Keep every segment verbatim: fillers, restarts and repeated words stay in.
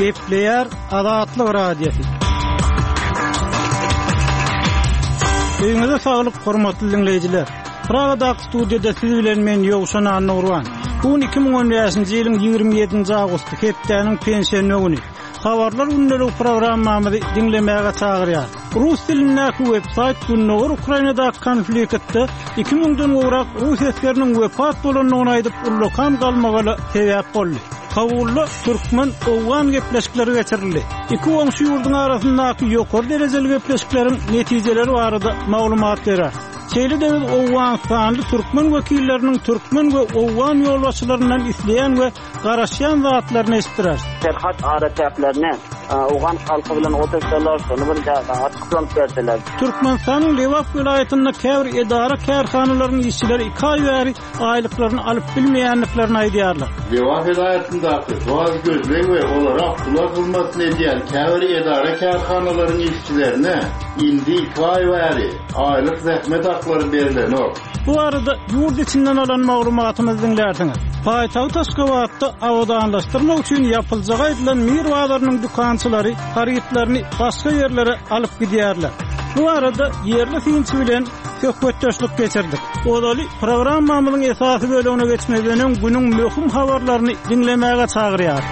Gepleýär Azatlyk Radiosy. Öýüňize saglyk, hormatly diňleýjiler. Pragadaky studiýada siz bilen men Ýowşan Annagurban. Bu gün iki müň on bäşinji ýylyň ýigrimi ýedinji awgusty, hepdäniň penşenbe güni. Habarlar gündelik programmamyzy diňlemäge çagyrýar. Rus dilindäki web-saýt Gündogar Ukrainadaky konfliktde iki müňden gowrak rus esgeriniň wepat bolandygyny aýdyp, ullakan galmagala sebäp boldy. Kabulda türkmen-owgan gepleşikleri geçirildi. Iki goňşy ýurduň arasyndaky ýokary derejeli gepleşikleriň netijeleri barada maglumat berer. Şeýle-de biz Owganystanly türkmen wekilleriniň türkmen we owgan ýolbaşçylaryndan isleýän we garaşýan zatlaryny eşitdirer. Serhat araçäklerine owgan halky bilen otursalar, şony bir açyklanyp berseler. Türkmenistanyň Lebap welaýatynda käbir edara kärhanalaryň işçileri iki aý bäri aýlyklaryny alyp bilmeýändiklerini aýdýarlar. Lebap welaýatyndaky gaz gözleg we olara pula hyzmat edýän käbir edara kärhanalaryň işçilerine indi iki aý bäri aýlyk zähmet haklary berilenok. Bu arada ýurt içinden alan maglumatymyzy diňlärsiňiz. Paýtagt Aşgabatda abadanlaşdyrmak üçin ýapyljagy aýdylan Mir bazarynyň dükançylary harytlaryny başga ýerlere alyp gidýärler. Bu arada ýerli synçy bilen söhbetdeşlik geçirdik. Ozaly programmamyzyň esasy bölegine geçmezden öň günüň möhüm habarlaryny diňlemäge çagyrýar.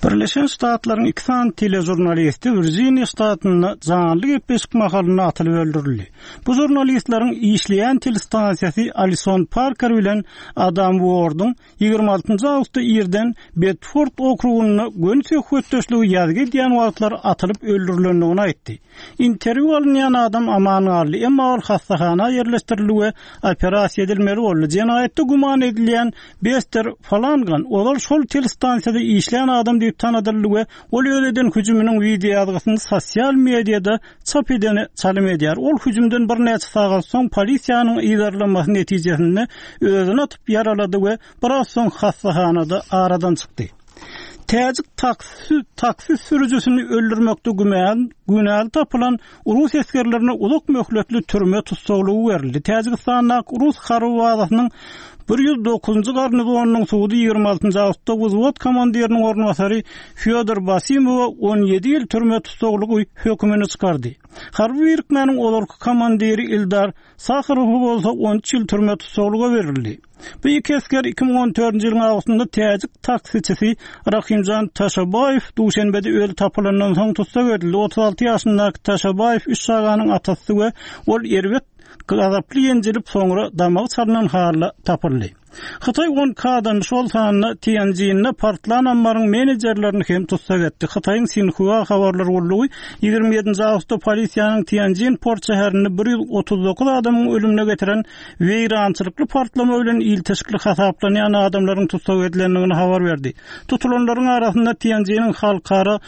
Birleşen Ştatlaryň iki sany telejurnalisti Virginia ştatynda janly gepleşik mahalynda atylyp öldürildi. Bu jurnalistleriň işleýän telestansiýasy Alison Parker bilen Adam Ward'yň ýigrimi altynjy awgustda irden Bedford okrugynda göni söhbetdeşligi ýazgy edýän wagtlar atylyp öldürilendigini aýtdy. Interwýu alynýan adam aman galdy, emma ol hastahana ýerleşdirildi we operasiýa edilmeli boldy. Jenaýatda güman edilýän Bester Falangan ozal şol telestansiýada işleýän adam diýip tanadyldy we ol öz eden hüjüminiň wideo ýazgysyny sosial mediada çap edeni çalym edýär. Ol hüjümden birnäçe sagat soň polisiýanyň yzarlamasy netijesinde özüni atyp ýaralady we biraz soň hastahanada aradan çykdy. Täjik taksi, taksi sürüjisini öldürmekde güman, günäli tapylan Rus esgerlerine uzak möhletli türme tussaglygy berildi. Täjigistandaky Rus harby bazasynyň bir ýüz dokuzynjy garnizonynyň sudy ýigrimi altynjy awgustda wzwod komandiriniň orunbasary Fyodor Basimowa on ýedi ýyl türme tussaglygy hökümini çykardy. Harby birikmäniň ozalky komandiri Ildar Saharow bolsa on üç ýyl türme tussaglygy berildi. Bu iki esger iki müň on dördünji ýylyň awgustynda täjik taksiçisi Rahimjan Taşabaýew Duşenbede öli tapylandan soň tussag edildi. Otuz alty ýaşyndaky Taşabaýew üç çaganyň atasy we ol erbet gazaply ýenjilip soňra damagy çalynan halda tapyldy. Hytaý on kadan şol sanda Tianjin'de partlan ammaryň menejerlerini hem tussag etdi. Hytaýyň Sinhua habarlar gullugy ýigrimi ýedinji awgustda polisiýanyň Tianjin port şäherinde bir ýüz otuz dokuz adamyň ölümine getiren weýrançylykly partlama bilen ilteşikli hasaplanýan adamlaryň tussag edilendigini habar berdi. Tutulanlaryň arasynda Tianjiniň halkara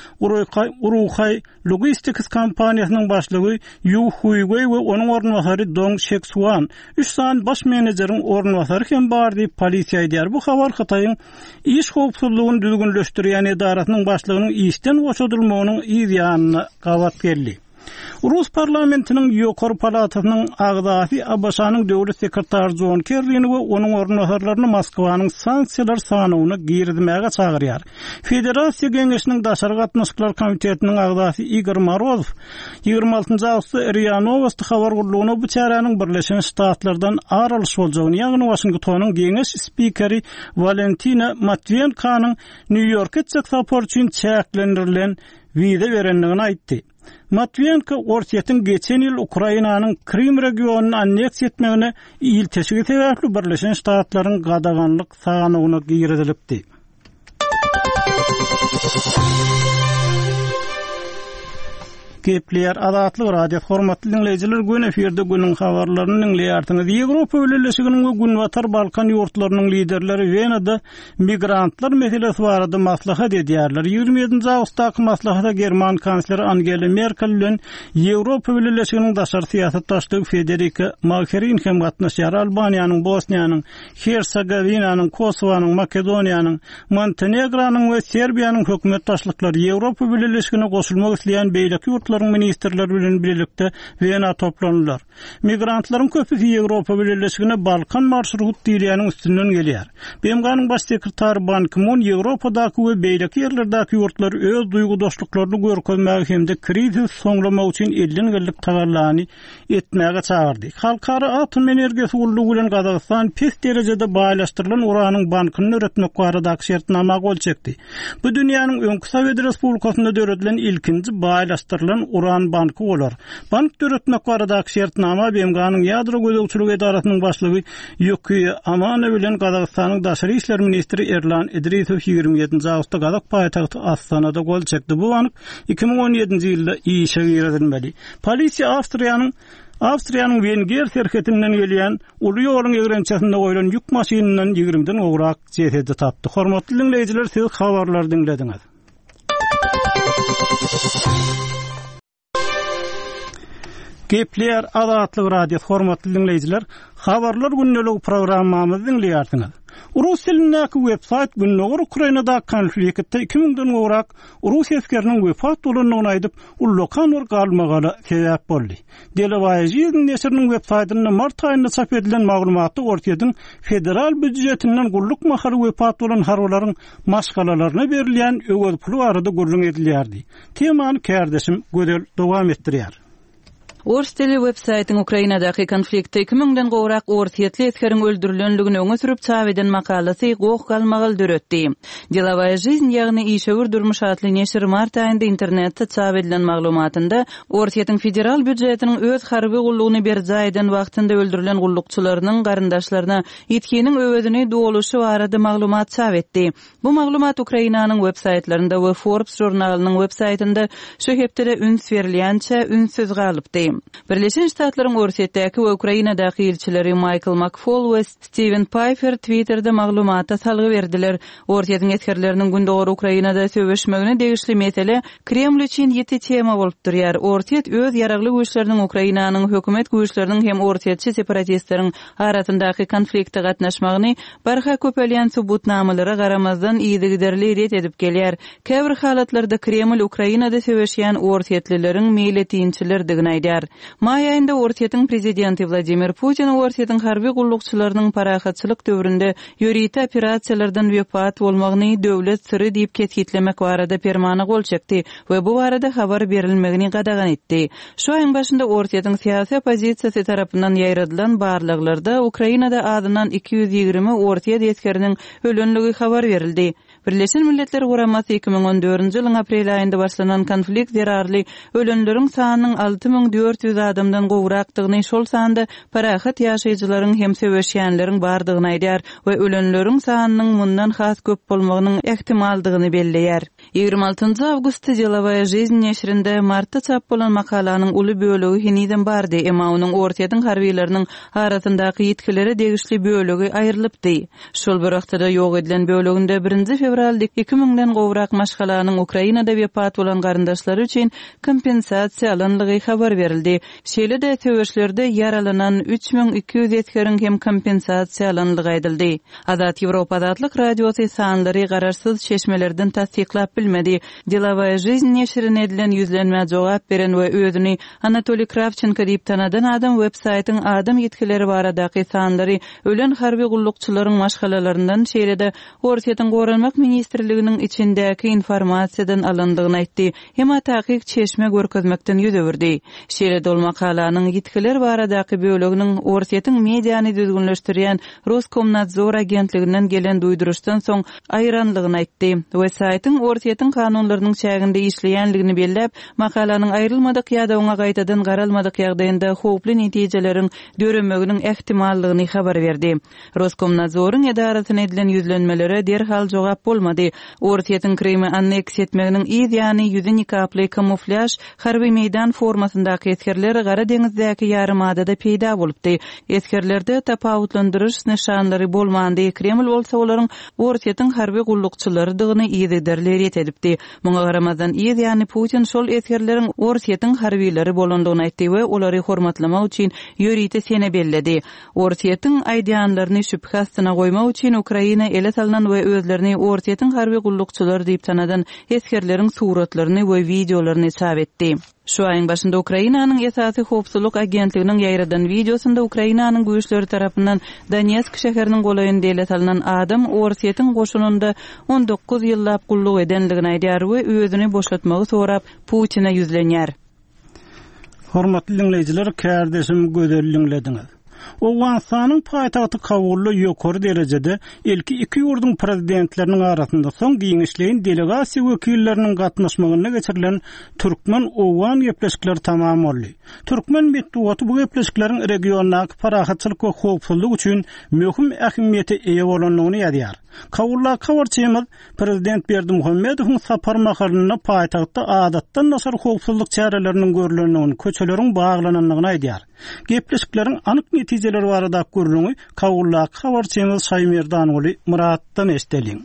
Uruhay Logistics kompaniýasynyň başlygy Yu Huigui we onuň orunbasary Dong Shexuan, üç sany baş menejeriň orunbasary hem bar diýip polisiýa aýdýar. Bu habar Hytaýyň iş howpsuzlygyny düzgünleşdirýän edarasynyň başlygynyň işden boşadylmagynyň yz ýanyna gabat geldi. Rus parlamentiniň ýokary palatasynyň agzasy A B Ş-nyň döwlet sekretary John Kerryni we onuň orunbasarlaryny Moskwanyň sanksiýalar sanawyna girizmäge çagyrýar. Federasiýa Geňeşiniň Daşary gatnaşyklar komitetiniň agzasy Igor Morozow ýigrimi altynjy awgustda R I A Novosti habar gullugyna bu çäräniň Birleşen Ştatlardan ar alyş boljagyny, ýagny Washingtonyň geňeş spikeri Valentina Matviyenkonyň Nýu-Ýorka etjek sapar üçin çäklendirilen wiza berendigini aýtdy. Matviyenko Orsýetiň geçen ýyl Ukrainanyň Krim regionyny anneksiýa etmegine ilteşigi sebäpli Birleşen Ştatlaryň gadaganlyk sanawyna girizilipdi. Gepleýär Azatlyk Radiosy. Hormatly diňleýjiler, gün efirde günüň habarlaryny diňleýärsiňiz. Ýewropa Bileleşiginiň we Günbatar Balkan ýurtlarynyň liderleri Wenada migrantlar meselesi barada maslahat edýärler. Ýigrimi ýedinji awgustdaky maslahata German kansleri Angela Merkel bilen Ýewropa Bileleşiginiň daşary syýasat başlygy Federica Mogherini hem gatnaşýar. Albaniýanyň, Bosniýanyň, Hersegovinanyň, Kosowanyň, Makedoniýanyň, Montenegranyň we Serbiýanyň hökümet başlyklary Ýewropa Bileleşigine goşulmak isleýän beýleki ýurtlaryň ýurtlaryň ministrleri bilen birlikde Wena toplandylar. Migrantlaryň köpüsi Ýewropa Bileleşigine Balkan marşrut diýilýäniň üstünden gelýär. B M G-nyň baş sekretary Ban Ki-mun Ýewropadaky we beýleki ýerlerdäki ýurtlar öz duýgudaşlyklaryny görkezmäge hem-de krizis soňlamak üçin elden geldik tagallany etmäge çagyrdy. Halkara Atom Energiýasy Gullugy bilen Gazagystan pes derejede baýlaşdyrylan uranyň bankyny döretmek baradaky şertnama gol çekdi. Bu dünýäniň öňki Sowet Respublikasynda döredilen ilkinji baýlaşdyrylan uran banky bolar. Bank döretmek baradaky şertnama B M G-nyň ýadro gözegçilik edarasynyň başlygy Ýuki Amano bilen Gazagystanyň daşary işler ministri Erlan Idrisow ýigrimi ýedinji awgustda Gazak paýtagty Astanada gol çekdi. Bu bank iki müň on ýedinji ýylda işe girizilmeli. Polisiýa Awstriýanyň Awstriýanyň Wenger serhedinden gelýän uly ýoluň egrençesinde goýlan ýük maşynyndan ýigrimiden gowrak jesedi tapdy. Hormatly dinleýjiler, siz habarlary diňlediňiz. Gepleýär Azatlyk Radiosy, hormatly dinleýjiler, habarlar gündelik programmamyzy diňleýärsiňiz. Rus dilindäki web-saýt Gündogar Ukrainada konfliktde iki müňden gowrak rus esgeriniň wefat bolandygyny aýdyp, ullakan bir galmagala sebäp boldy. Delowaýa Žizn neşiriniň web-saýtynda mart aýynda çap edilen maglumatda Orsýetiň federal býudjetinden gulluk mahaly wefat bolan harbylaryň maşgalalaryna berilýän öwez puly barada gürrüň edilýärdi. Temany kärdeşim Gözel dowam etdirýär. Ors dili web-saýtyň Ukrainadaky konfliktde iki müňden gowrak orsýetli esgeriň öldürilenligini öňe sürüp çap eden makalasy goh galmagal döretdi. Delowaýa Žizn, ýagny işewür durmuş atly neşir mart aýynda internetde çap edilen maglumatynda Orsýetiň federal býudjetiniň öz harby gullugyny berjaý eden wagtynda öldürilen gullukçylarynyň garyndaşlaryna ýitginiň öwezini doluşy barada maglumat çap etdi. Bu maglumat Ukrainanyň web-saýtlarynda we Forbes žurnalynyň web-saýtynda şu hepdede üns berilýänçe ünsüz galypdy. Birleşen Ştatlaryň Orsýetdäki we Ukrainadaky ilçileri Michael McFaul we Steven Pifer Twitter'de maglumata salgy berdiler. Orsýetiň esgerleriniň Gündogar Ukrainada söweşmegine degişli mesele Kreml üçin ýiti tema bolup durýar. Orsýet öz ýaragly güýçleriniň Ukrainanyň hökümet güýçleriniň hem orsýetçi separatistleriň arasyndaky konflikte gatnaşmagyny barha köpelýän subutnamalara garamazdan yzygiderli ret edip gelýär. Käbir halatlarda Kreml Ukrainada söweşýän orsýetlileriň meýletinçilerdigini aýdar. Maý aýynda Orsýetiň prezidenti Wladimir Putin Orsýetiň harby gullukçylarynyň parahatçylyk döwründe ýörite operasiýalardan wepat bolmagyny döwlet syry diýip kesgitlemek barada permana gol çekdi we bu barada habar berilmegini gadagan etdi. Şu aýyň başynda Orsýetiň syýasy oppozisiýasy tarapyndan ýaýradylan barlaglarda Ukrainada azyndan iki ýüz ýigrimi Orsýet esgeriniň ölenligi habar berildi. Birleşen Milletler Guramasy iki müň on dördünji ýylyň aprel aýynda başlanan konflikt zerarly ölenleriň sanynyň alty müň dört ýüz adamdan gowrakdygyny, şol sanda parahat ýaşaýjylaryň hem söweşýänleriň bardygyny aýdar we ölenleriň sanynyň mundan has köp bolmagynyň ähtimaldygyny belleýär. Ýigrimi altynjy awgustda Delowaýa Žizn neşirinde martda çap bolan makalanyň uly bölegi henizem bardy, emma onuň Orsýetiň harbylarynyň arasyndaky ýitgilere degişli bölegi aýrylypdy. Şol bir wagtda ýok edilen böleginde birinji fewralda iki müňden gowrak maşgalanyň Ukrainada wepat bolan garyndaşlary üçin kompensasiýa alyndygy habar berildi. Şeýle-de söweşlerde ýaralanan üç müň iki ýüz esgeriň hem kompensasiýa alyndygy aýdyldy. Azat Ýewropa Azatlyk Radiosy sanlary garaşsyz çeşmelerden tassyklap bilmedi. Delowaýa Žizn neşirine edilen ýüzlenmä jogap beren we özüni Anatoliy Kravchenko diýip tanadan adam web-saýtyň adam ýitgileri baradaky sanlary ölen harby gullukçylaryň maşgalalaryndan, şeýle-de Orsýetiň Goranmak Ministrliginiň içindäki informasiýadan alyndygyny aýtdy. Emma takyk çeşme görkezmekden ýüz öwürdi. Şeýle-de ol makalanyň ýitgiler baradaky böleginiň Orsýetiň mediany düzgünleşdirýän Roskomnadzor agentliginden gelen duýduryşdan soň aýranlygyny aýtdy. Web-saýtyň Orsýetiň kanunlarynyň çäginde işleýänligini belläp, makalanyň aýrylmadyk ýa-da oňa gaýtadan garalmadyk ýagdaýynda howply netijeleriň döremeginiň ähtimallygyny habar berdi. Roskomnadzoryň edarasyna edilen ýüzlenmelere derhal jogap bolmady. Orsýetiň Krymy anneksiýa etmeginiň yz ýany ýüzi nikaply kamuflýaž harby meýdan formasyndaky esgerler Gara deňizdäki ýarymadada peýda bolupdy. Esgerlerde tapawutlandyryş nyşanlary bolmandy. Kreml bolsa olaryň Orsýetiň harby gullukçylarydygyny yzygiderli ret edipdi. Muňa garamazdan yz ýany Putin şol esgerleriň Orsýetiň harbylary bolandygyny aýtdy we olary hormatlamak üçin ýörite sene belledi. Orsýetiň aýdýanlaryny şübhe astyna goýmak üçin Ukraina ele salynan we özlerini Orsýetiň harby gullukçylary diýip tanadan esgerleriň suratlaryny we wideolaryny çap etdi. Şu aýyň başynda Ukrainanyň esasy howpsuzlyk agentliginiň ýaýradan wideosynda Ukrainanyň güýçleri tarapyndan Donetsk şäheriniň golaýynda ele salynan adam Orsýetiň goşunynda on dokuz ýyllap gulluk edenligini aýdýar we özüni boşatmagy sorap Putin'e ýüzlenýär. Hormatly dinleýjiler, kärdeşim gözel dinlediňiz. Owganystanyň paýtagty Kabulda ýokary derejede ilki iki ýurduň prezidentleriniň arasynda soň giňişleýin delegasiýa wekilleriniň gatnaşmagynda geçirilen Türkmen-Owgan gepleşikleri tamam boldy. Türkmen metbugaty bu gepleşikleriň regiondaky parahatçylyk we howpsuzlyk üçin möhüm ähmiýete eýe bolandygyny ýazýar. Kabulda habarçymyz Prezident Berdimuhamedowyň sapar mahalynda paýtagtda adatdan daşary howpsuzlyk çäreleriniň görülendigini, köçeleriň baglanandygyny aýdýar. Gepleşikleriň anyk netijeleri barada gürrüňi Kabuldaky habarçymyz Şaýmerdanguly Muratdan eşideliň.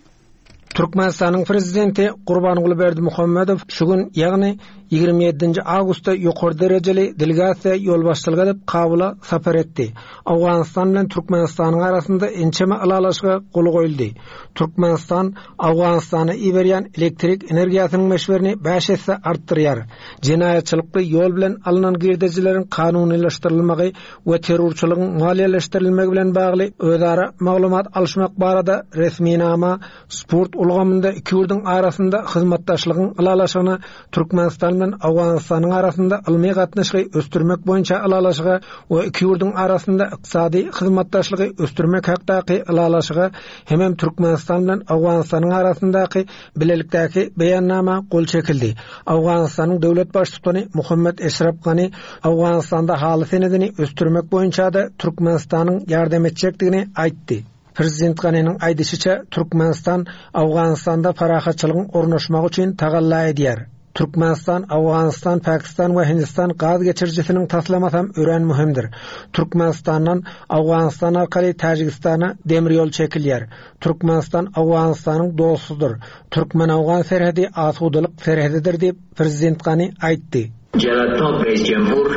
Türkmenistanyň prezidenti Gurbanguly Berdimuhamedow şu gün, ýagny ýigrimi ýedinji awgustda ýokary derejeli delegasiýa ýolbaşçylyk edip Kabula sapar etdi. Owganystan bilen Türkmenistanyň arasynda ençeme ylalaşyga gol goýuldy. Türkmenistan Owganystana iberýän elektrik energiýasynyň möçberini bäş esse artdyrýar. Jenaýatçylykly ýol bilen alynan girdejileriň kanunylaşdyrylmagy we terrorçylygyň maliýeleşdirilmegi bilen bagly özara maglumat alşmak barada resminama sport ulgamynda iki ýurduň arasynda hyzmatdaşlygyň ylalaşygyna Türkmenistan bilen Owganystanyň arasynda ylmy gatnaşygy ösdürmek boýunça ylalaşyga we iki ýurduň arasynda ykdysady hyzmatdaşlygy ösdürmek hakdaky ylalaşyga hemem Türkmenistan bilen Owganystanyň arasyndaky bilelikdäki beýannama gol çekildi. Owganystanyň döwlet baştutany Muhammed Eşraf Gani Owganystanda haly senedini ösdürmek boýunça da Türkmenistanyň ýardam etjekdigini aýtdy. Prezident Gani'nin aýdyşyça Türkmenistan Owganystanda parahatçylygyň ornaşmagy üçin tagalla edýär. Türkmenistan, Owganystan, Pakistan we Hindistan gaz geçirijisiniň taslamasy hem örän möhümdir. Türkmenistandan Owganystan arkaly Täjigistana demir ýol çekilýär. Türkmenistan Owganystanyň dostudyr. Türkmen-Owgan serhedi asudalyk serhedidir diýip Prezident Gani aýtdy. Jalal Reis Cumhur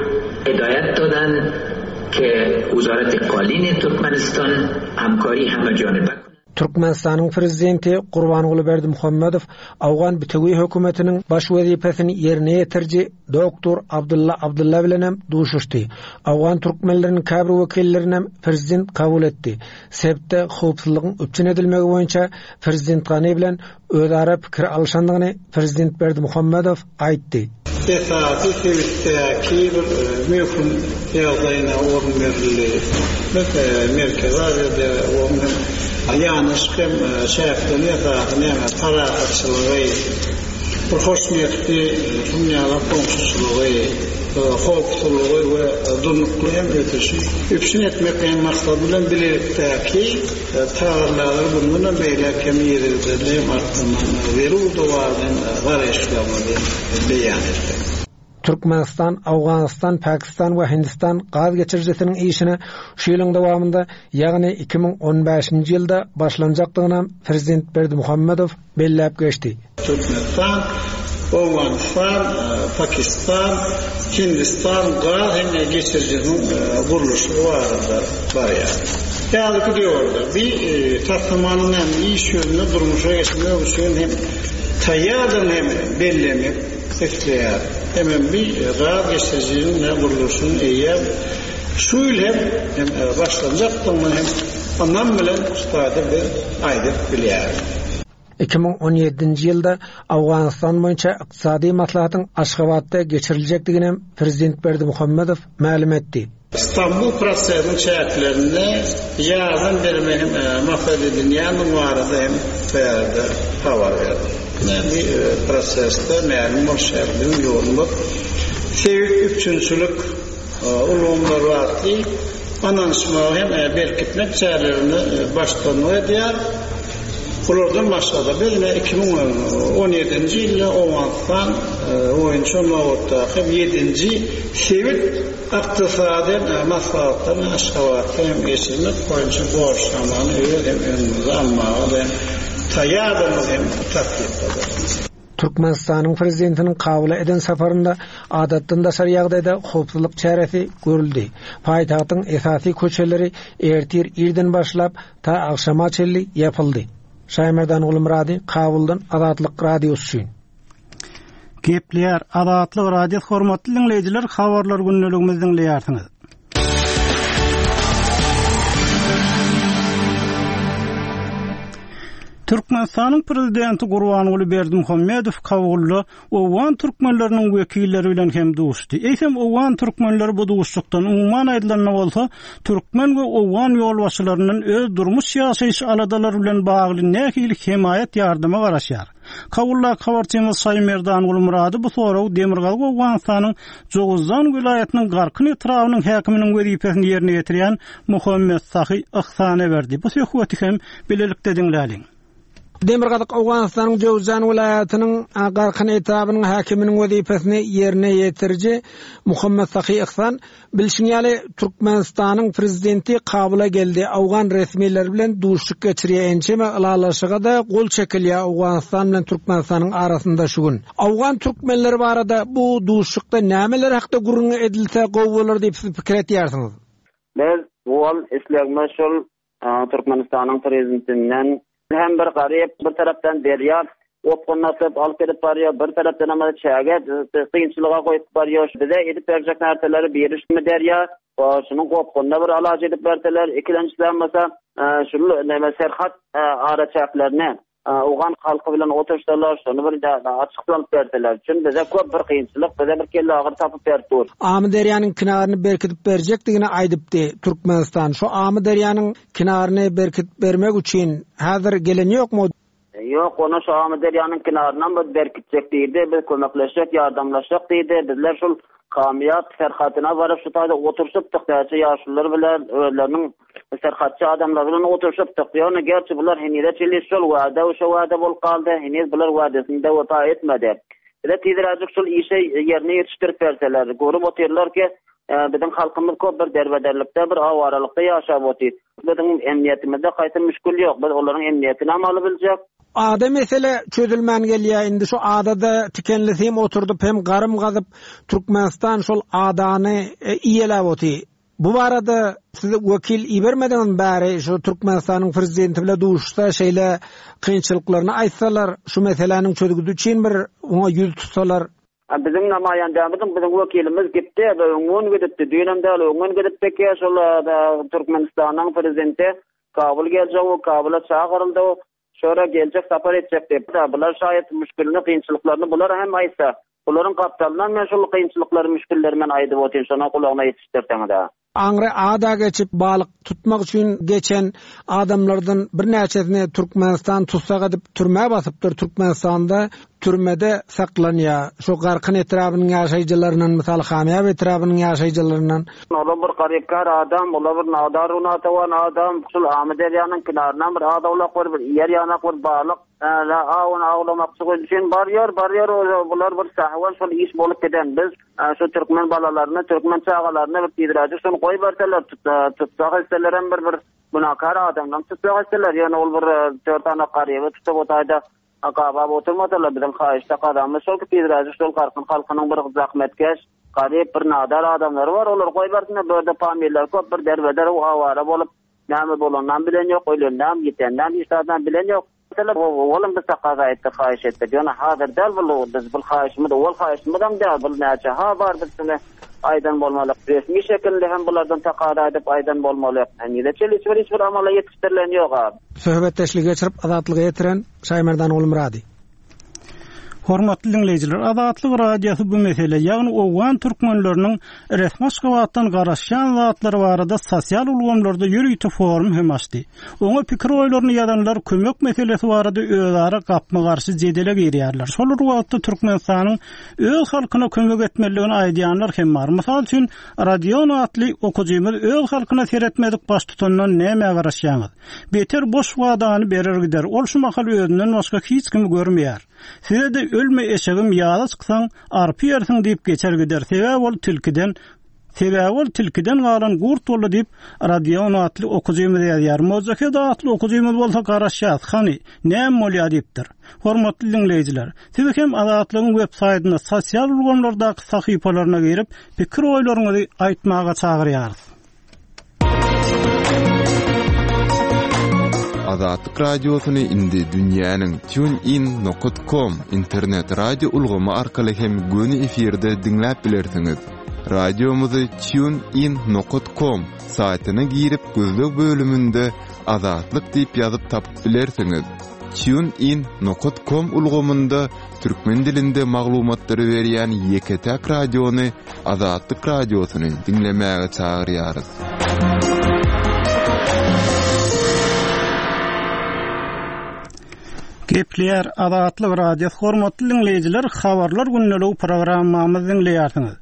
hidayet dadan ke Wazaret Qalin Türkmenistan hamkari heme janibe Türkmenistanyň prezidenti Gurbanguly Berdimuhamedow Owgan bütewi hökümetiniň baş wezipesini ýerine ýetiriji Doktor Abdulla Abdulla bilen hem duşuşdy. Owgan türkmenleriniň käbir wekillerini hem prezident kabul etdi. Sebitde howpsuzlygyň üpjün edilmegi boýunça prezident Gani bilen özara pikir alşandygyny prezident Berdimuhamedow aýtdy. Esasy sebitdäki bir möhüm ýagdaýyna orun berildi. Biz Merkezi Aziýada onuň ýanaşyk hem şähden esasy näme parahatçylygy, bir hoşniýetli dünýäde goňşuçylygy, howpsuzlygy we durnukly hem ösüşi üpjün etmek hem maksady bilen bilelikdäki tagallalary bundan beýläk hem ýerinde hem artdyrmak zerur dowardan garaşylmaly beýan etdi. Türkmenistan, Owganystan, Pakistan we Hindistan gaz geçirijisiniň işine şu ýylyň dowamynda, ýagny iki müň on bäşinji ýylda başlanjakdygyny Prezident Berdimuhamedow belläp geçdi. Türkmenistan, Owganystan, Pakistan, Hindistan gaz hem geçirijisiniň gurluşy barada barýar. Häzirki döwürde bir taslamanyň hem iş ýüzünde durmuşa geçirmek üçin hem taýýardygyny hem bellemek isleýär. Hemen bir gaz geçirijisiniň gurluşynyň eýýäm şu ýyl hem, hem başlanjakdygyny hem anlam bilen üstade bir aýdyp bilýäris. Iki müň on ýedinji ýylda Owganystan boýunça ykdysady maslahatyň Aşgabatda geçiriljekdigini hem Prezident Berdimuhamedow mälim etdi. İstanbul prosesiniň çäklerinde ýardam bermek hem, maksat edilýän barada hem bärde habar berdi. Bu prosesde mälim bolşy biziň ýolumyz sebit üpjünçilik ulgamlary atly ananyşmagy hem berkitmek çärelerini başlangyç edýär. Bulardan başga-da biz ine iki müň on ýedinji ýylda Owganystan boýunça nobatdaky ýedinji sebit ykdysady maslahatlaryny Aşgabatda hem geçirmek boýunça borçnamany öz hem öňümüze almaga da taýýardygymyzy hem tassykladyk. Türkmenistanyň prezidentiniň Kabula eden saparynda adatdan daşary ýagdaýda howpsuzlyk çäresi görüldi. Paýtagtyň esasy köçeleri ertir irden başlap ta agşama çenli ýapyldy. Şaýmerdan Gulmyrady, Kabuldan Azatlyk Radiosy üçin. Gepleýär Azatlyk Radiosy hormatly diňleýjiler, habarlar gündeligimizi diňleýärsiňiz. Türkmenistanyň prezidenti Gurbanguly Berdimuhamedow Kabulda Owgan türkmenleriniň wekilleri bilen hem duşdy. Eýsem Owgan türkmenleri bu duşuşykdan umuman aýdylanda bolsa türkmen we owgan ýolbaşçylaryndan öz durmuş ýaşaýyş aladalary bilen bagly nähili hemaýat ýardyma garaşýar. Kabulda habarçymyz Şaýmerdan Gulmyrady bu soragy Demirgazyk Owganystanyň Jowuzjan welaýatynyň Garkyn etrabynyň häkiminiň wezipesini ýerine ýetirýän Muhammet Sahy Ihsana berdi. Bu söhbeti hem bilelikde diňläliň. Demirgazyk Owganystanyň Jowuzjan welaýatynyň Garkyn etrabynyň häkiminiň wezipesini ýerine ýetiriji Muhammet Sahy Ihsan bilşiň ýaly Türkmenistanyň prezidenti Kabula geldi. Owgan resmileri bilen duşuşyk geçirýär. Ençeme ylalaşyga da gol çekilýär Owganystan bilen Türkmenistanyň arasynda şu gün. Owgan türkmenleri barada bu duşuşykda nämeler hakda gürrüň edilse gowy bolar diýip siz pikir etýärsiňiz? Biz ol islegimiz şol Türkmenistanyň prezidentinden hem bir garyp bir tarapdan derýa opgunlatyp alyp gidip barýar, bir tarapdan hem çäge kynçylyga goýup barýar. Bize edip berjek närseleri berişmi derýa, şunuň gopgunda bir alaç edip berseler, ikilençiden bolsa, şul näme serhat araçäklerine Owgan halky bilen otursalar, şonu bir açyklanyp berseler. Çünki bize köp bir kynçylyk, bize bir kelle agyr tapyp berip dur. Amy derýanyň kinaryny berkidip berjekdigini aýdypdy Türkmenistan. Şu Amy derýanyň kinaryny berkidip bermek üçin häzir gelen ýokmy? Ýok, onu şu Amy derýanyň kinaryndan biz berkitjek diýdi, biz kömekleşjek, ýardamlaşjak diýdi. Bizler şul kamyýap serhatyna baryp şu taýda oturşypdyk, näçe ýaşlylar bilen özleriniň serhatçy adamlar bilen oturşypdyk. Ýöne gerçi bular henize çenli şol wada, şo wada bolup galdy, heniz bular wadasynda wepa etmedi. Bize tizräjik şol işe ýerine ýetişdirip berseler, görüp otyrlar ki, biziň halkymyz köp bir derbederlikde, bir awaralykda ýaşap otyr. Biziň emniýetimizde haýsy müşkil ýok. Biz olaryň emniýetini hem alyp biljek. Ada mesele çözülmän gelýär. Indi şu adada tikenli sim oturdyp hem garym gazyp Türkmenistan şol adany iýeläp otyr. Bu barada siz wekil ibermediňiz bäri şu Türkmenistanyň prezidenti bilen duşsa şeýle kynçylyklaryny aýtsalar, şu meseläniň çözgüdi üçin bir oňa ýüz tutsalar. Biziň namaýandamyzyň biziň wekilimiz gitdi, öňün gidipdi, düýnem däl, öňün gidipdi ki, şol Türkmenistanyň prezidenti Kabul geljek, Kabula çagyryldy. Şora geljek sapar etjek diýip, bular şaýat müşkilini, kynçylyklaryny bular hem aýtsa, bularyň gapdalyndan men şol kynçylyklary, müşkilleri men aýdyp otyryn, şona gulagyna ýetişdirseňiz. Aňry ada geçip balyk tutmak üçin geçen adamlardan birnäçesini Türkmenistan tutsak edip türmä basypdyr. Türkmenistanda türmede saklanýar. Şu Garkyn etrabynyň ýaşaýjylaryndan, mysal Hamyýap etrabynyň ýaşaýjylaryndan. Olar bir garypkar adam, olar bir nadar unatawan adam, şul Amy derýanyň kenaryndan bir adawlak bir, bir ýer ýanak bir balyk, la awun awlamakçy üçin barýar, barýar, bular bir sahwan şol iş bolup giden. Biz şu türkmen balalaryny, türkmen çagalaryny bir tizräjik şony goý berseler, tutsak etseler hem bir, bir günahkar adamdan tutsak etseler, ýöne ol bir dört tane garyby tutup otaýda gabap oturmasalar, biziň haýyşda gazanmyş şol ki tizräjik şol Garkyn halkynyň bir zahmetkeş, garyp bir nadar adamlary bar, olar goý bersinler, bu ýerde familiýalar köp, bir derbeder awara bolup, näme bolandan bilen ýok, ölenden, ýitenden, hiç zatdan bilen ýok. Mesela oğlum biz takaza etdik, haýyş etdik. Ýöne hazır däl bu, biz bu haýyşymyz, ol haýyşymyz hem däl, bu näçe ha bar biz şunu aýdan bolmaly. Resmi şekilde hem bulardan takaza edip aýdan bolmaly. Henize çenli hiç bir, hiç bir amala ýetişdirilen ýok abi. Söhbetdeşlik geçirip Azatlyga ýetiren Şaýmerdan Gulmyrady. Hormatly diňleýjiler, Azatlyk Radiosy bu mesele, ýagny Owgan türkmenleriniň resmi Aşgabatdan garaşýan zatlary barada sosial ulgamlarda ýörite forum hem açdy. Oňa pikir oýlaryny ýazanlar kömek meselesi barada özara gapma-garşy jedele girýärler. Şol bir wagtda Türkmenistanyň öz halkyna kömek etmelidigini aýdýanlar hem bar. Mysal üçin, Radion atly okujymyz öz halkyna seretmedik baş tutandan näme garaşýaňyz? Beter boş wadany berer gider. Ol şu mahal özünden başga hiç kimi görmeýär. Size de ölme eşegim ýaza çyksaň, arpy ýersiň diýip geçer gider. Sebäbi ol tilkiden, sebäbi ol tilkiden galan gurt boldy diýip Radion atly okujymyz ýazýar. Mozahed atly okujymyz bolsa garaşýas, hany, näme bolýar diýipdir. Hormatly diňleýjiler, siz hem Azatlygyň web saýtynda sosial ulgamlardaky sahypalaryna girip, pikir oýlaryňyzy aýtmaga çagyrýarys. Azatlyk Radiosyny indi dünýäniň tunein nokat com internet radio ulgamy arkaly hem göni efirde diňläp bilersiňiz. Radiomyzy tunein nokat com saýtyna girip gözleg bölüminde Azatlyk diýip ýazyp tapyp bilersiňiz. Tunein nokat com ulgamynda türkmen dilinde maglumatlary berýän ýeke-täk radiony Azatlyk Radiosyny diňlemäge çagyrýarys. Gepleýär Azatlyk Radiosy hormatly dinleýjiler, habarlar gündelik programmamyzy dinleýärsiňiz.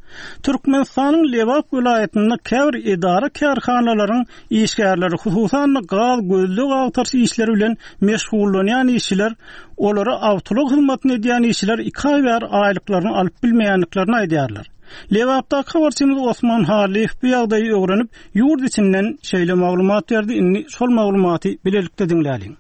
Türkmenistanyň Lebap welaýatynda käbir edara kärhanalaryň işgärleri, hususan gaz gözleg agtaryş işleri bilen meşgullanýan işçiler, olara awtoulag hyzmatyny edýän işçiler iki aý bäri aýlyklaryny alyp bilmeýändiklerini aýdýarlar. Lebapdaky habarçymyz Osman Halyýew bu ýagdaýy öwrenip, ýurt içinden şeýle maglumat berdi. Indi şol maglumaty bilelikde diňläliň.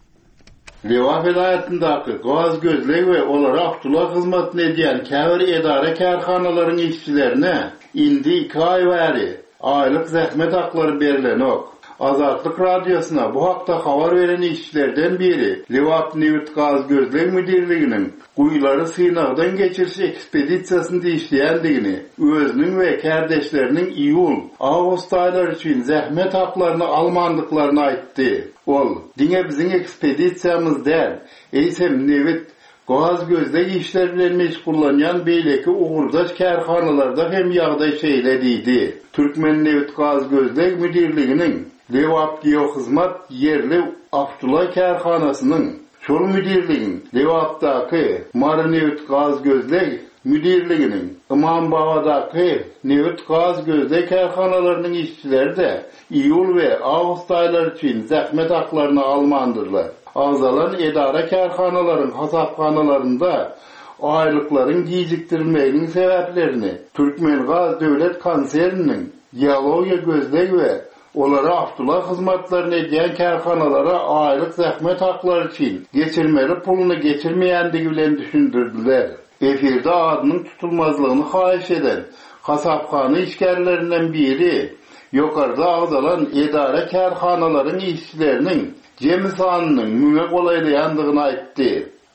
Lebap welaýatyndaky gaz gözleg we olara awtoulag hyzmatyny edýän käbir edara kärhanalaryň işçilerine indi iki aý bäri aýlyk zähmet haklary berilenok. Azatlyk Radiosyna bu hakda habar beren işçilerden biri Lebap Nebit Gaz Gözleg Müdirliginiň guýulary synagdan geçiriş ekspedisiýasynda işleýändigini, özüniň we kärdeşleriniň iýul, awgust aýlary üçin zähmet haklaryny almandyklaryny aýtdy. Ol, diňe biziň ekspedisiýamyz däl, eýsem nebit, gaz gözleg işleri bilen meşgullanýan beýleki ugurdaş kärhanalarda hem ýagdaý şeýle diýdi. Türkmen Nebit Gaz Gözleg Müdirliginiň Lebap Geohyzmat ýerli awtoulag kärhanasynyň şol müdirligiň Lebapdaky Mary Nebit Gaz Gözleg Müdirliginiň Imambabadaky Nebit Gaz Gözleg kärhanalarynyň işçileri de iýul we awgust aýlary üçin zähmet haklaryny almandyrlar. Agzalan edara kärhanalaryň hasaphanalarynda aýlyklaryň gijikdirilmeginiň sebäplerini Türkmengaz Döwlet Konserniniň geologiýa gözleg we olara awtoulag hyzmatlaryny edýän kärhanalara aýlyk zähmet haklary üçin geçirmeli puluny geçirmeýändigi bilen düşündirdiler. Efirde adynyň tutulmazlygyny haýyş eden hasaphana işgärlerinden biri ýokarda agzalan edara kärhanalaryň işçileriniň jemi sanynyň müňe golaýlaýandygyny aýtdy.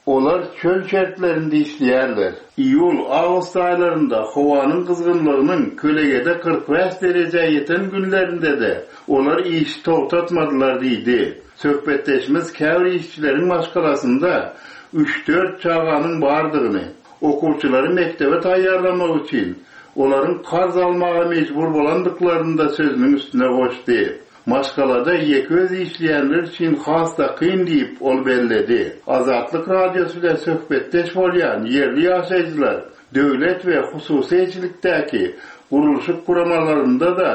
Olar çöl şertlerinde işleýärler. Iýul, awgust aýlarynda howanyň gyzgynlygynyň kölegede kyrk bäş derejä ýeten günlerinde de olar işi togtatmadylar diýdi. Söhbetdeşimiz käbir işçileriň maşgalasynda üç-dört çaganyň bardygyny, okuwçylary mekdebe taýýarlamak üçin olaryň karz almaga mejbur bolandyklaryny da sözüniň üstüne goşdy. Maşgalada ýeke öz işleýänler üçin has da kyn diýip ol belledi. Azatlyk Radiosy bilen söhbetdeş bolýan ýerli ýaşaýjylar döwlet we hususyýetçilikdäki gurluşyk guramalarynda da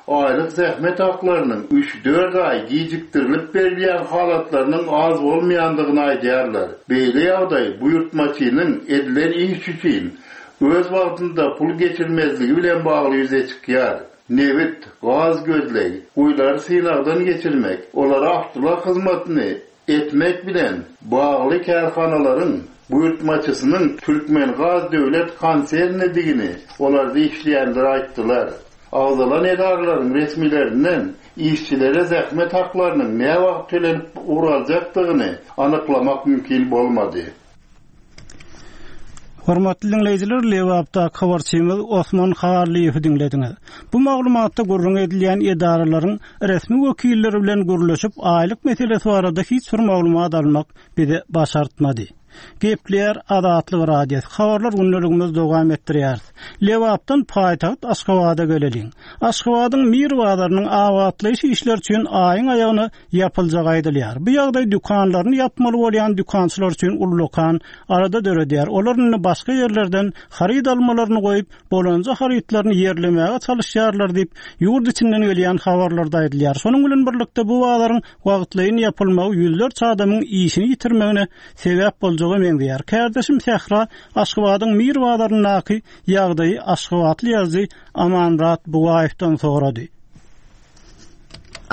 aýlyk zähmet haklarynyň üç-dört aý gijikdirilip berilýän halatlarynyň az bolmaýandygyny aýdýarlar. Beýle ýagdaý buýurtmaçynyň edilen iş üçin öz wagtynda pul geçirmezligi bilen bagly ýüze çykýar. Nebit, gaz gözleg, guýulary synagdan geçirmek, olara awtoulag hyzmatyny etmek bilen bagly kärhanalaryň buýurtmaçysynyň Türkmengaz Döwlet Konsernidigini olarda işleýänler aýtdylar. Agzalan edaralaryň resmilerinden işçilere zähmet haklarynyň näwagt tölenip ugraljakdygyny anyklamak mümkin bolmady. Hormatly dinleýjiler, Lebapdaky habarçymyz Osman Halyýewi diňlediňiz. Bu maglumatda gürrüň edilýän edaralaryň resmi wekilleri bilen gürleşip, aýlyk meselesi barada hiç bir maglumat almak bize başartmady. Gepleýär Azatlyk Radiosy. Habarlar gündeligimiz dowam etdirýär. Lebapdan paýtagt Aşgabada geleliň. Aşgabadyň Mir bazarynyň abatlaýyş işleri üçin aýyň aýagyna ýapyljagy aýdylýar. Bu ýagdaý dükanlaryny ýapmaly bolýan dükançylar üçin ullakan arada döredýär. Olar indi başga ýerlerden haryt almalaryny goýup, bolanja harytlaryny ýerlemäge çalyşýarlar diýip, ýurt içinden gelýän habarlarda aýdylýar. Şonuň bilen birlikde bu bazaryň wagtlaýyn ýapylmagy ýüzlerçe adamyň işini ýitirmegine sebäp boljagy meňzeýär. Kärdeşim Sähra Aşgabadyň Mir bazaryndaky ýagdaýy Aşgabatly ýazyjy Amanmyrat Bugaýewden sorady.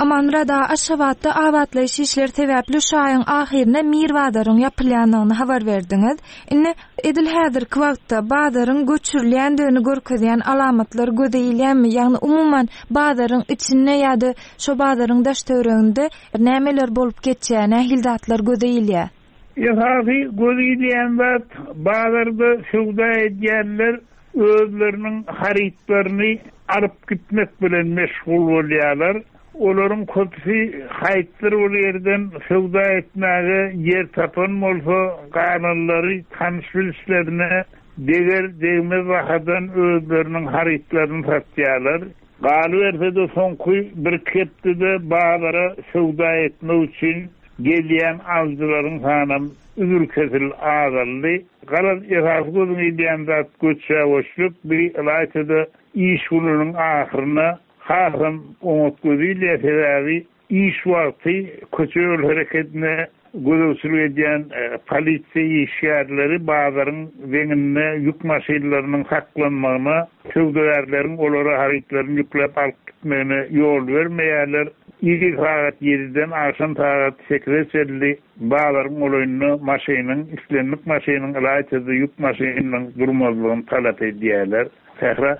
Amanmyrat aga, Aşgabatda abatlaýyş işleri sebäpli şu aýyň ahyryna Mir bazaryň ýapylýandygyny habar berdiňiz. Indi edil häzirki wagtda bazaryň göçürilýändigini görkezýän alamatlar göze ilýärmi? Ýagny umuman bazaryň içinde ýa-da şo bazaryň daş-töwereginde nämeler bolup geçýär, nähili zatlar göze ilýär? Esasy göze ilýän zat bazarda söwda edýänler özleriniň harytlaryny alyp gitmek bilen meşgul bolýarlar. Olaryň köpüsi haýtdyr bir ýerden söwda etmäge ýer tapan bolsa, galanlary tanyş bilişlerine deger degmez bahadan özleriniň harytlaryny satýarlar. Galyberse-de soňky bir hepdede bazara söwda etmek üçin gelýän alyjylaryň sanam üzül-kesil azaldy. Galan esasy gözüň ilýän zat göçe-göçlük, bir ylaýta-da iş gününiň ahyryna hasam oňat gözi ilýär, sebäbi iş wagty köçe ýol hereketine gözegçilik edýän, e, polisiýa işgärleri bazaryň deňinde ýük maşynlarynyň saklanmagyna, söwdagärleriň olara harytlaryny ýükläp alyp gitmegine ýol bermeýärler. Ir sagat ýediden agşam sagat sekize çenli bazaryň golaýynda maşynyň, islendik maşynyň, ylaýta-da ýük maşynynyň durmazlygyny talap edýärler. Sähra.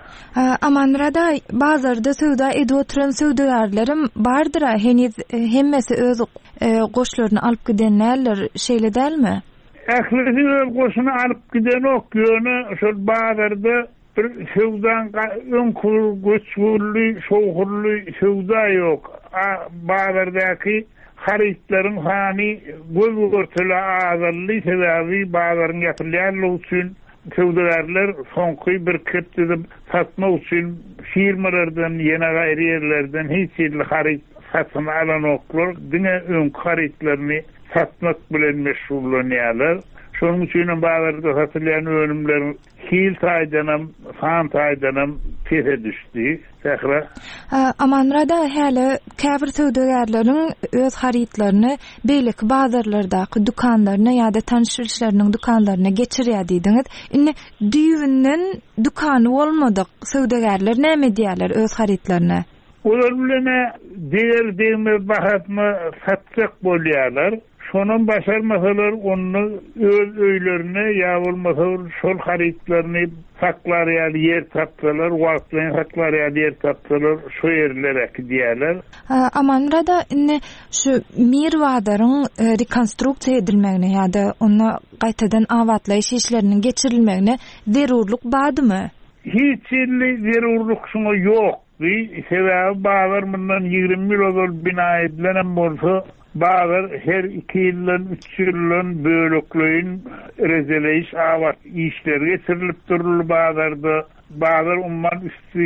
Amanmyrat aga, bazarda söwda edip oturan söwdagärlerim bardyr-a, heniz hemmesi öz, e, goşlaryny alyp giden däldir, şeýle dälmi? Ählisi öz goşuny alyp gidenok, ýöne şol bazarda bir söwdaň öňki göçgürli, şowhurly söwda ýok. A, bazardaky harytlaryň sany göz görtele azaldy, sebäbi bazaryň ýapylýanlygy üçin söwdagärler soňky bir hepdede satmak üçin firmalardan, ýene gaýry ýerlerden hiç hili haryt satyn alanoklar, diňe öňki harytlaryny satmak bilen meşgullanýarlar. Şonuň üçin hem bazarda satylýan önümleriň hil taýdanam, san taýdanam pese düşdi. Sähra. Amanmyrat aga, häli käbir söwdagärleriň öz harytlaryny beýleki bazarlardaky dükanlaryna ýa-da tanyş bilişleriniň dükanlaryna geçirýär diýdiňiz. Indi düýbünden dükany bolmadyk söwdagärler näme edýärler öz harytlaryny? Olar bilen deger degmez bahasyna satjak bolýarlar. Şonam başarmasalar onda öz öýlerine ýa bolmasa şol harytlaryny saklar ýaly ýer tapsalar, wagtlaýyn saklar ýaly ýer tapsalar, şo ýerlere äkidýärler. Amanmyrat aga, indi şu Mir bazaryň, e, rekonstruksiýa edilmegine ýa-da onda gaýtadan abatlaýyş işleriniň geçirilmegine zerurlyk bardymy? Hiç hili zerurlyk şuňa ýokdy. Sebäbi bazar mundan ýigrimi ýyl ozal bina edilenem bolsa, bazar her iki ýyldan, üç ýyldan bölekleýin rejeleýiş abat işleri geçirilip duruldy bazarda. Bazar umman üstü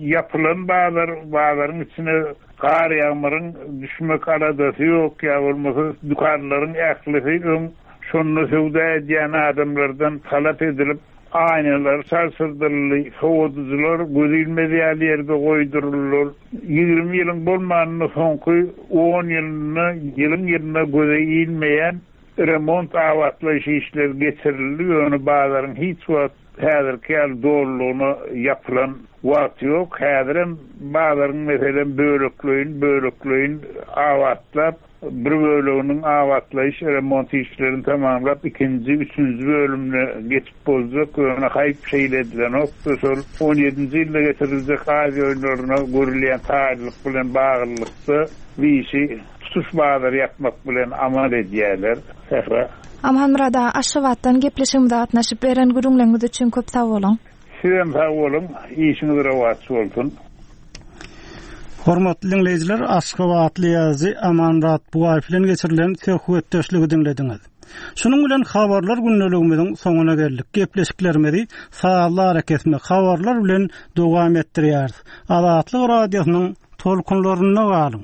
ýapylan bazar, bazaryň içine gar ýagmyryň düşmek aladasy ýok, ýa bolmasa dükanlaryň ählisi öň şonda söwda edýän adamlardan talap edilip aýnalar çalşyrdyryldy, sowadyjylar göz ilmez ýaly ýerde goýduryldylar. Ýigrimi ýylyň bolmanynda soňky on ýylynda ýylyň ýylyna göze ilmeýän remont abatlaýyş işleri geçirildi. Ýöne bazaryň hiç wagt häzirki ýaly dolulygyna ýapylan wagty ýok. Häzirem bazaryň meselem bölekleýin, bölekleýin abatlap, bir böleginiň abatlaýyş remont işlerini tamamlap, ikinji, üçünji bölümine geçip boljak. Ýöne haýp şeýle edilenokdy. Şol on ýedinji ýylda geçiriljek Aziýa oýunlaryna görülýän taýynlyk bilen baglylykda bu işi tutuş bazary ýapmak bilen amal edýärler. Sähra. Amanmyrat aga, Aşgabatdan gepleşigimize gatnaşyp beren gürrüňleriňiz üçin köp sag boluň. Sizem sag boluň, işiňiz rowaç bolsun. Hormatly dinleýjiler, Aşgabatly ýazyjy Amanmyrat Bugaýew bilen geçirilen söhbetdeşligi diňlediňiz. Şunuň bilen habarlar gündeligimiziň soňuna geldik. Gepleşiklerimizi sazly arakesme habarlar bilen dowam etdirýäris. Azatlyk radiosynyň tolkunlarynda galyň.